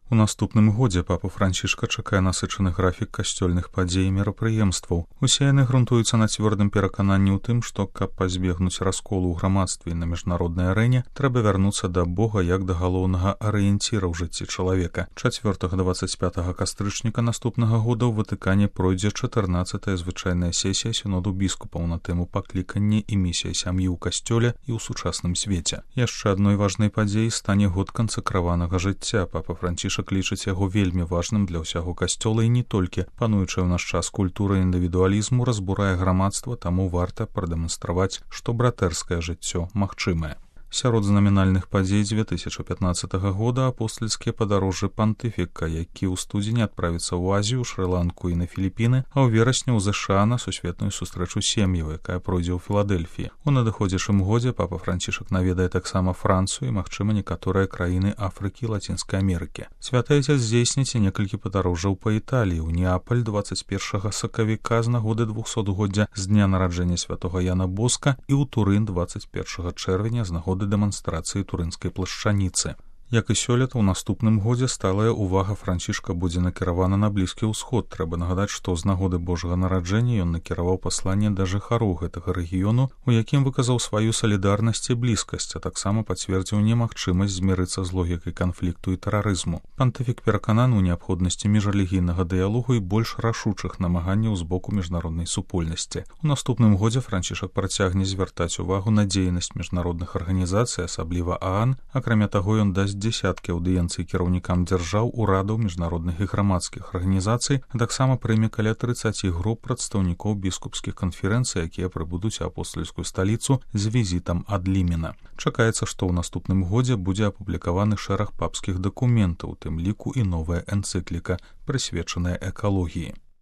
У наступным годзе папу Францішка чакае насычаны графік касцёльных падзей і мерапрыемстваў. Усе яны грунтуюцца на цвёрдым перакананні ў тым, што, каб пазбегнуць расколу ў грамадстве і на міжнароднай арэне, трэба вярнуцца да Бога як да галоўнага арыенціра ў жыцці чалавека. 4-25 кастрычніка наступнага года ў Ватыкане пройдзе 14-я звычайная сесія сіноду біскупаў на тэму паклікання і місія сям'і ў касцёле і ў сучасным свеце. Яшчэ адной важнай падзеяй стане год кансакраванага жыцця. Папа Францішак лічыць яго вельмі важным для ўсяго касцёла і не толькі. Пануючая ў наш час культура індывідуалізму разбурае грамадства, таму варта прадэманстраваць, што братэрскае жыццё магчымае. Сярод знамінальных падзей 2015 года апостальскія падарожжы пантыфіка, які ў студзені адправіцца ў Азію, Шры-Ланку і на Філіпіны, а ў верасні ў ЗША на сусветную сустрэчу сем'яў, якая пройдзе ў Філадэльфіі. У надыходзячым годзе папа Францішак наведае таксама Францыю і, магчыма, некаторыя краіны Афрыкі і Лацінскай Амерыкі. Святы Айцец здзейсніць некалькі падарожжаў па Італіі, ў Неапаль 21 сакавіка з нагоды 200-годдзя з дня нараджэння святога Яна Боска і ў Турын 21 чэрвеня з нагоды дэманстрацыі турынскай плашчаніцы. Як і сёлета, у наступным годзе сталая ўвага Францішка будзе накіравана на Блізкі ўсход. Трэба нагадаць, што з нагоды Божага нараджэння ён накіраваў пасланне да жыхароў гэтага рэгіёну, у якім выказаў сваю салідарнасць і блізкасць, а таксама пацвердзіў немагчымасць змірыцца з логікай канфлікту і тэрарызму. Пантыфік перакананы ў неабходнасці міжрэлігійнага дыялогу і больш рашучых намаганняў з боку міжнароднай супольнасці. У наступным годзе Францішак працягне звяртаць увагу на дзейнасць міжнародных арганізацый, асабліва ААН. Акрамя таго, ён дасць дзесяткі аўдыенцый кіраўнікам дзяржаў, урадаў, міжнародных і грамадскіх арганізацый, а таксама прыме каля 30 груп прадстаўнікоў біскупскіх канферэнцый, якія прыбудуць у апостальскую сталіцу з візітам ад Лімена. Чакаецца, што ў наступным годзе будзе апублікаваны шэраг папскіх дакументаў, у тым ліку і новая энцыкліка, прысвечаная экалогіі.